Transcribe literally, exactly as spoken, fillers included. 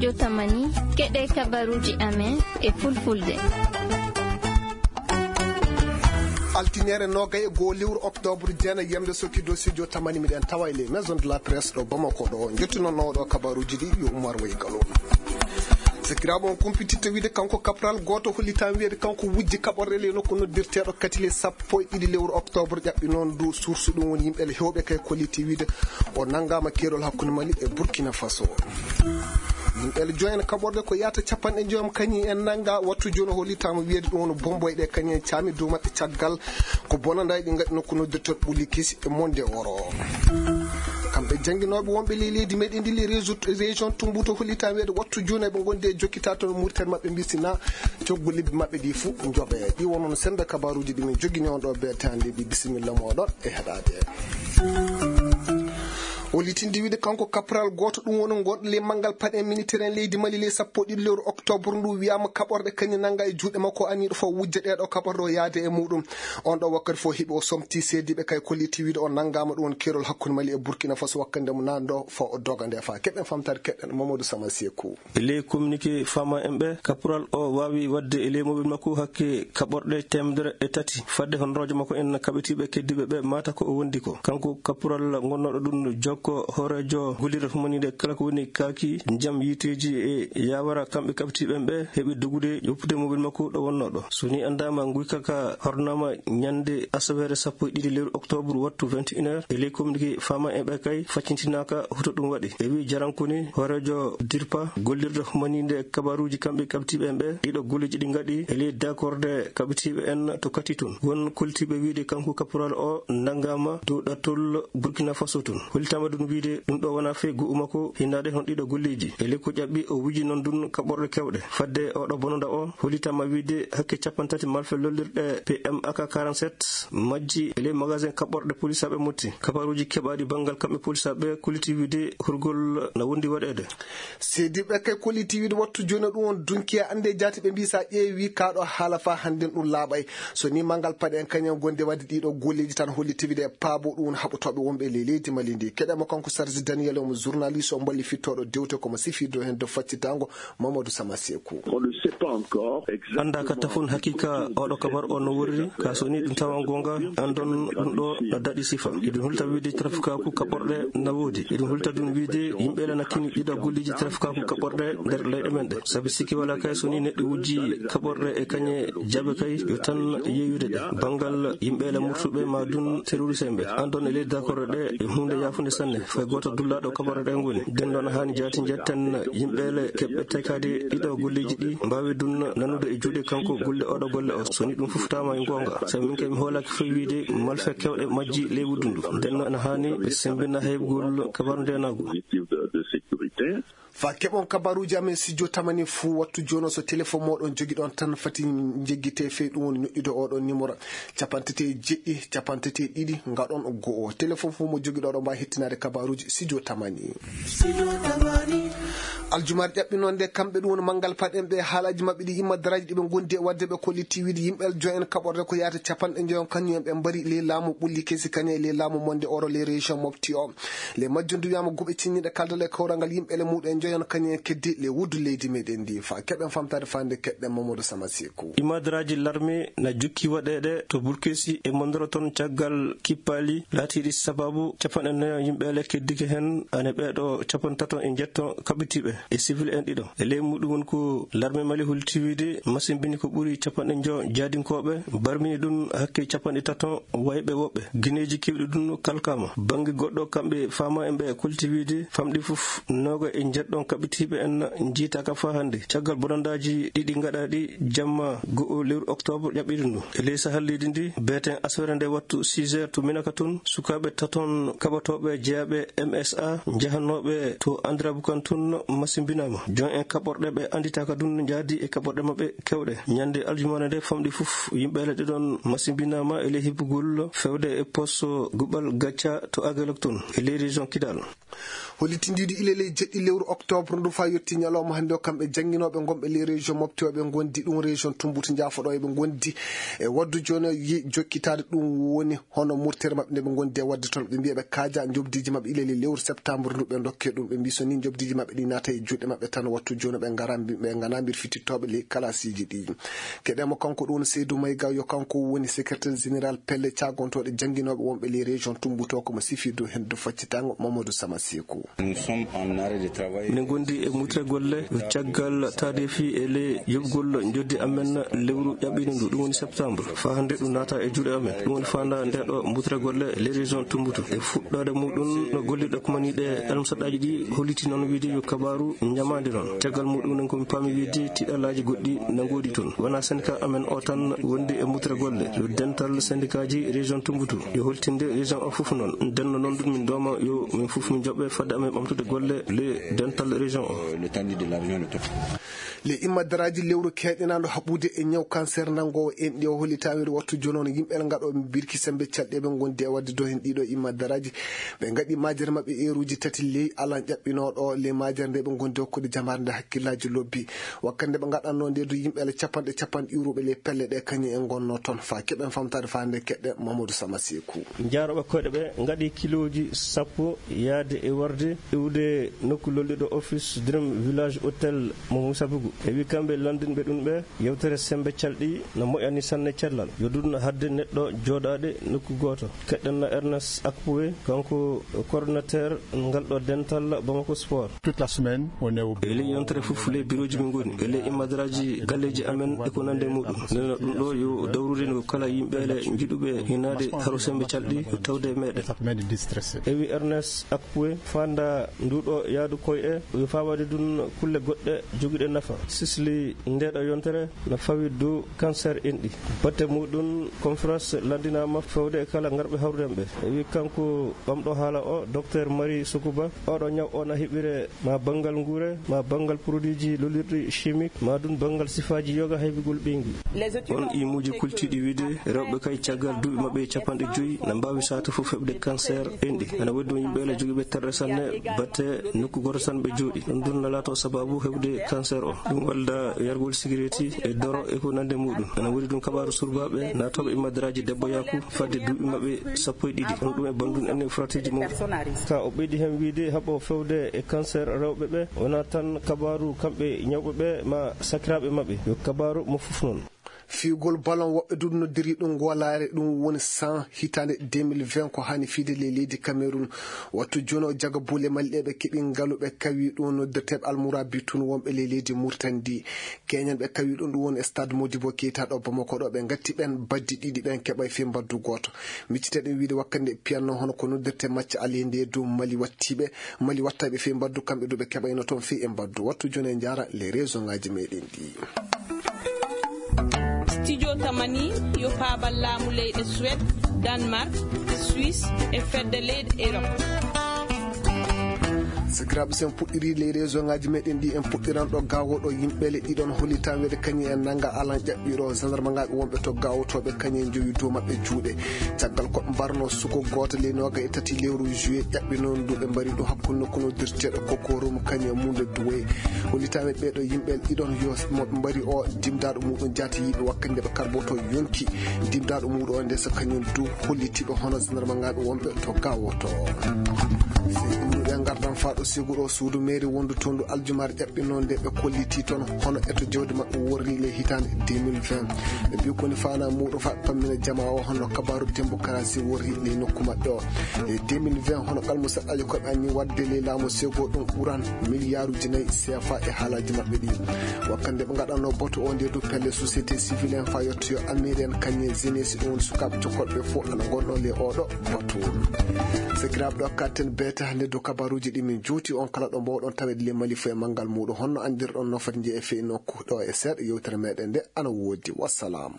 Jotamani, keɗe kabaruuji amen e fulfulde. Altineere noogay e goo lewru oktoobre, jeenay yamde sokkido studio tamani, miɗen tawa e les maisons de la presse ɗo Bamako ɗo. Njettunoo ɗo kabaruuji ɗi yo Umar Way Galo. Sakiraaɓe, on kumpititta wiide kanko caporal gooto hollitaama wiyeede kanko wujji kaɓorɗe ley nokku noddirteeɗo Katile sappo e ɗiɗi lewru oktoobre, ƴaɓɓi noon ndu source, ɗum woni yimɓe heewɓe kay kolliti wiide o nanngaama keerol hakkunde Mali e Burkina Faso. Yimɓe joyen kaɓorɗe ko yahata capanɗe joyam kañum en nannga wattu jooni, hollitaama wiyeede ɗum woni bomboy ɗe kañum en caami dow maɓɓe caggal ko bonanɗaaji ɗi ngaɗi nokku noddirteeɗo ɓulli kesi e monde oro. Kamɓe jannginooɓe wonɓe ley leydi meɗen ndi, le réseau, région Tumbuto, hollitaama wiyeede wattu jooni eɓe ngondi e jokkitaade toon murtere maɓɓe, mbisina coggu lebbi maɓɓe ɗi fof njoɓe. Ɗi wonno sennda kabaruuji ɗi min jogini on ɗo, beete hannde ɗi. Bisimilla mooɗon e heɗaade. O litinde wiide kanko caporal gooto, ɗum woni gonɗo ley manngal paɗe militaire en leydi Mali ley sappo e ɗiɗi lewru oktoobre ndu, wiyaama kaɓorɗe kañum nannga e juuɗe makko, aniiɗo fof wujja ɗeeɗo kaɓorɗe o yaade e muɗum. On ɗo wakkati fof heɓi o somti seediiɓe kay kolliti wiide o nanngaama ɗum woni keerol hakkunde Mali e Burkina Faso wakkati nde mo naatno fo o doga nde fa. Keɗen famtaade keɗen Mamadou Sama Sekou. E ley communiqué faama en ɓe, caporal o waawi waɗde e ley mobile makko hakke kaɓorɗe teemedere e tati fadde honroojo makko en kaɓitiiɓe keddiiɓe ɓe mata ko o wondi ko. Kanko caporal gonnooɗo ɗum jokko hooreejo gollirde humaniinde kala ko woni kaaki jam yiiteeji e yaawara kamɓe kaɓitiiɓe en ɓe heɓi dogude ƴoppude mobile makko ɗo wonnoo ɗo. So ni anndaama nguyka ka hornaama ñande asaweere sappo e ɗiɗi lewru oktoobre wattu vingt et une heures. E ley communiqué faama en ɓe kay faccintinaaka hoto ɗum waɗi. E wi jarankoni hooreejo dirpa gollirde humaniinde kabaruuji kamɓe kaɓitiiɓe en ɓe, ɗiɗo golleeji ɗi ngaɗi e ley dakorde kaɓitiiɓe en to kati tun. Won koltiiɓe wiide kanko caporal o nanngaama dow ɗattol Burkina Faso tun. Hollitaama ɗum wiide ɗum ɗo wonaa fey go'u makko hinnaade hon ɗiɗo golleeji. E ley ko ƴaɓɓi o wuji noon ɗum kaɓorɗe kewɗe. Fadde oɗo bononda o hollitaama wiide hakke capanɗe tati malfe lollirɗe P M A K quarante-sept majji e ley magasin kaɓorɗe polisaaɓe Motti. Kabaruuji keɓaaɗi banngal kamɓe polisaaɓe kolliti wiide hurgol na wondi waɗeede. Seediiɓe kay kolliti wiide wattu jooni ɗum on dunki e annde jaati ɓe mbii sa ƴeewi kaaɗo haala fa hannden ɗum laaɓay. So ni manngal paɗe en kañum gonde waɗde ɗiɗo golleeji tan holliti wiide e paabo ɗum woni haɓotooɓe wonɓe e ley leydi Mali ndi. Keɗe mo kanko Sarsi Daniel, omo journaliste, o mballi fittooɗo dewte komo sifirde heen dow faccitango Mamadou Sama Sekou. On ne sait pas encore exactement. Annda ka tafon hakika oɗo kabar o no worri, ka so ni ɗum tawa gonga, andon ɗum ɗo no daɗi sifa. Iɗum hulta wiide trafikaku kaɓorɗe na woodi. Iɗum hulta ɗum wiide yimɓe la na kini ɗiɗo golleeji trafikaku kaɓorɗe nder leyɗe men ɗe. Sabi sikki wala kay so ni neɗɗo wujji kaɓorɗe e kañe jaɓe kay yo tan yeeyude ɗe. Banngal yimɓe la murtuɓe ma dun terroriste en ɓe. Andon e ley dakorde ɗe e hunde yaafunde sanne. Fay gooto dullaaɗo kaɓorɗe ɗe ngoni. Den noon haani jaati njetten yimɓe le keɓɓe tekaade ɗiɗo golleeji ɗi mbaawi dun nanude e juuɗe kanko golle oɗo golle o. So ni ɗum fof tama e goonga. Sabi min kay mi hoolaaki fof wiide malfe kewɗe majji ley wuddundu. Den noon haani ɓe sembina heɓgol kabaru ndenagu. Fa keɓon kabaruuji amen studio tamani fuu wattu jooni o, so téléphone mooɗon jogiɗon tan fati njeggite fey ɗum woni nuɗɗude oɗon numéro capanɗe tati e jeɗɗi, capanɗe tati e ɗiɗi, ngaɗon go'o. Téléphone fof mo jogiɗo oɗon mbaawi hettinaade kabaruuji studio tamani. Aljumaare ƴaɓɓi noon nde kamɓe ɗum woni manngal paɗen ɓe haalaaji maɓɓe ɗi imma daraaji ɗi ɓe ngondi e waɗde ɓe kolliti wiide yimɓe joyen kaɓorde ko yaata capanɗe joyon kañum en ɓe mbari ley laamu ɓulli kesi kañum e ley laamu monde oro ley région Mopti o. Le majjum ndu wiyama guɓe cinniɗe kaldal e kawrangal yimɓe le muɗum en joyon kañum en keddi le wuddu leydi meɗen ndi fa keɓen famtade fande keɗɗen Mamadou Sama Sekou. Imadraji larme na jukki waɗeɗe to Burkesi e Mondoro toon caggal kippali laatiɗi sababu capanɗe nayo yimɓe le keddike hen ane ɓeɗo capantato e jetto kaɓitiɓe e civil en ɗiɗo. E ley muɗum won ko larme Mali holti wiide masimbini ko ɓuri capanɗe njo jaadinkoɓe barmini ɗum hakke capanɗe tato wayɓe woɓɓe. Gineeji keewɗi ɗum kalkama. Bannge goɗɗo, kamɓe faama en ɓe kolti wiide famɗi fof nooga e njeɗɗon kaɓitiiɓe en njiitaaka faa hannde. Caggal bonandaaji ɗiɗi ngaɗaaɗi jamma go'o lewru oktoobre ƴaɓɓiɗi ndu. E ley sahal leydi ndi, beeten aswere nde wattu six heures to Minaka tun, sukaaɓe taton kaɓotooɓe jeyaaɓe M S A njahanooɓe to Andirabukan tun masimbinaama. Jon en kaɓorɗe ɓe annditaaka ɗum njaadi e kaɓorɗe maɓɓe kewɗe. Ñande aljumaare nde famɗi fof, yimɓe le ɗiɗon masimbinaama e ley hibbugol fewde e poste Guɓal Gacca to Agalok toon, e ley région Kidal. Hollitindiiɗo ile ley jeɗɗi lewru octobre ndu faa yotti ñalawma hannde o, kamɓe jannginooɓe ngonɓe ley région Mopti o, ɓe ngondi ɗum région Tumbut Njaafoɗo, eɓe ngondi e waddu jooni o, yi-, jokkitaade ɗum woni hono murtere maɓɓe nde ɓe ngondi e wadde toon, ɓe mbiya ɓe kaaja njoɓdiiji maɓɓe ile ley lewru septembre ndu ɓe ndokke ɗum, ɓe mbi so ni njoɓdiiji maɓɓe ɗi naata e juuɗe maɓɓe tan. Wattu jooni ɓe ngara mbi-, ɓe ngana mbir fitittooɓe ley kalaasiiji ɗi. Keɗen mo kanko ɗum Seydou Maïga, yo kanko woni secrétaire général pelle caagontooɗe jannginooɓe wonɓe ley région Tombouctou, ko mo sifi dow heen dow faccitango Mamadou Sama Sekou. Min ngondi e mutre golle caggal taadeefi e ley yoɓgol njoɓdi amen lewru ƴaɓɓiindu ndu, ɗum woni septembre. Faa hannde ɗum naata e juuɗe amen. Ɗum woni faanda nde ɗo mutre golle ley région Tombouctou. E fuɗɗoode muɗum no gollirɗe kumaniiɗe almusaɗaaji ɗi holliti noon wiide yo kabaaru ñamaande noon. Caggal muɗum noon ko mi paami wiide tiɗalaaji goɗɗi na ngoodi toon. Wonaa syndicat amen o tan wondi e mutre golle. Yo dental syndicatji région Tombouctou. Yo holtinde région o fof noon. Ndenno noon ɗum min dooma yo min fof min njoɓe fadde amen ɓamtude golle le dental région o. Le immadaraaji lewru keeɗinaandu haɓude e ñaw cancer nanngoowo enɗi o holli taweede wattu jooni on yimɓe ngaɗo birki sembe calɗi ɓe ngondi e waɗde do heen ɗiɗo immadaraaji. Ɓe ngaɗi majere maɓɓe eeruuji tati ley alan ƴaɓɓinooɗo ley majere nde ɓe ngondi hokkude jamaare nde hakkillaaji lobbi. Wakkati nde ɓe ngaɗanno nde du yimɓe ala capanɗe capanɗe iwruɓe ley pelle ɗe kañum en ngonno toon. Faa keɓen famtaade faa nde keɗɗe Mamadou Sama Sekou. Njaarooɓe koyɗe ɓe ngaɗi kilooji sappo yaade e warde iwde nokku lolliɗo office Dream Village Hotel mo Moussa Bougou. E wi kamɓe lanndinɓe ɗum ɓe yewtere sembe calɗi no moƴƴani sanne cellal. Yo ɗum hadde neɗɗo jooɗaade nokku gooto. Keɗɗen no Ernest Akpoué, kanko coordonnateur ngal ɗo dental Bamako Sport. Toute la semaine, on est au bureau. E ley yontere fof, ley birooji min ngoni. E ley immadaraaji galleeji amen e ko nande muɗum. Nena ɗum ɗo yo dawrude no kala yimɓe le njiɗuɓe hinaade haro sembe calɗi yo tawde e meɗen. Ça permet de déstresser. E wi Ernest Akpoué, fanda nduɗo yaadu koye e, yo fawade dun kulle goɗɗe jogiɗe nafa. Sisli ndeɗo yontere no fawi dow cancer enɗi. Batte muɗum, conférence lanndinaama fewde e kala ngarɓe hawrudemɓe. E wi kanko ɓamɗo haala o, Docteur Marie Sokuba, oɗo ñaw o na heɓire ma banngal nguure, ma banngal produitji lolirɗi chimique, ma dun banngal sifaaji yoga haybigol ɓeyngu. On imuuji kultiiɗi wiide rewɓe kay caggal duuɓi maɓɓe capanɗe joyi na mbaawi saatu fof heɓde cancer enɗi. Ana woodi ɗum yimɓe ala jogiiɓe terɗe sanne batte nokku gooto tan ɓe jooɗi. Ɗum ɗum na laato sababu heɓde cancer o. Ɗum walda yargol sigaretti e doro e ko nande muɗum. Ana woodi ɗum kabaaru surbaaɓe naatooɓe e madaraaji debbo yaaku fadde duuɓi maɓɓe sappo e ɗiɗi. On ɗum e banndum en e frateeji mawɗi. Ka o ɓeydi heen wiide haɓo fewde e cancer rewɓe ɓe, wonaa tan kabaaru kamɓe ñawɓe ɓe ma sakiraaɓe maɓɓe. Yo kabaaru mo fof noon. Fiyugol ballon woɓɓe duɗi noddiri ɗum ngolaare, ɗum woni cent hitaande deux mille vingt ko hani fiide ley leydi Cameroun. Wattu jono jaga buule maliɗeɓe keɓi ngalu ɓe kawi ɗum noddirteɓe almurabi tun wonɓe ley leydi Murtani ndi. Keñan ɓe kawi ɗum, ɗum woni e stade Modibo Keita ɗo Bamako ɗo. Ɓe ngatti ɓen baddi ɗiɗi ɓen keɓay fii mbaddu gooto. Miccite ɗum wiide wakkande piyanno hono ko noddirte macca alinde dow Mali wattiɓe. Mali wattaɓe fii mbaddu kamɓe du ɓe keɓayno toon fii e mbaddu. Wattu jono e njaara les région ngaji meɗen ɗi. Studio Tamani yo paabal laamu leyɗe Suède, Danemark, Suisse e fedde leyɗe Europe. Sakiraaɓe, so en puɗɗiri ley région ngaji meɗen ɗi, en puɗɗiran ɗo Gao ɗo yimɓe le ɗiɗon hollitan wede kañum en nanga alan ƴaɓɓiɗo gendarme ngaɓe wonɓe to Gao to ɓe kañum en jowi dow maɓɓe juuɗe. Caggal ko ɓe mbarno suko gooto ley noga e tati lewru juillet ƴaɓɓi noon ndu ɓe mbari ɗum hakkunde nokku noddirteɗo Kokorum kañum e munde Duway. Hollitaɓe ɓeeɗo yimɓe ɗiɗon yo mo ɓe mbari o dimdaɗo muɗum jaati yiɓe wakkati nde ɓe karboto yonki. Dimdaɗo muɗum o nde so kañum du hollitiɓe hono gendarme ngaɓe wonɓe to Gao to. Sey ɗum ɗo ɓe ngardan faa ɗo sigu ɗo suudu mairie wondu toon ndu aljumare ƴaɓɓino nde ɓe kolliti toon hono eto jawdi maɓɓe worri le hitande deux mille vingt. Ɓe mbi koni fana muɗum faa ɓe pammina jama o hono kabaru démocratie worri le nokku maɓɓe o. E deux mille vingt hono kalmu saɗɗaji koɓe anni wadde le laamu sego ɗum ɓuran miliyaaruji nayi C F A e haalaji maɓɓe ɗi. Wakkande ɓe ngaɗanno boto o nde du pelle société civile en faa yettoyo amiren kañum e jeunesse ɗum woni sukaaɓe cokkolɓe fof ana ngonno le oɗo boto. Sakiraaɓe ɗo katten beeta hannde dow kabaruuji ɗi min juuti on kala ɗo mbowɗon tawede le Mali fof e manngal muɗum honno anndirɗon no foti njiye e fii nokku ɗo e seeɗa yewtere meɗen nde ana woodi. Wassalam.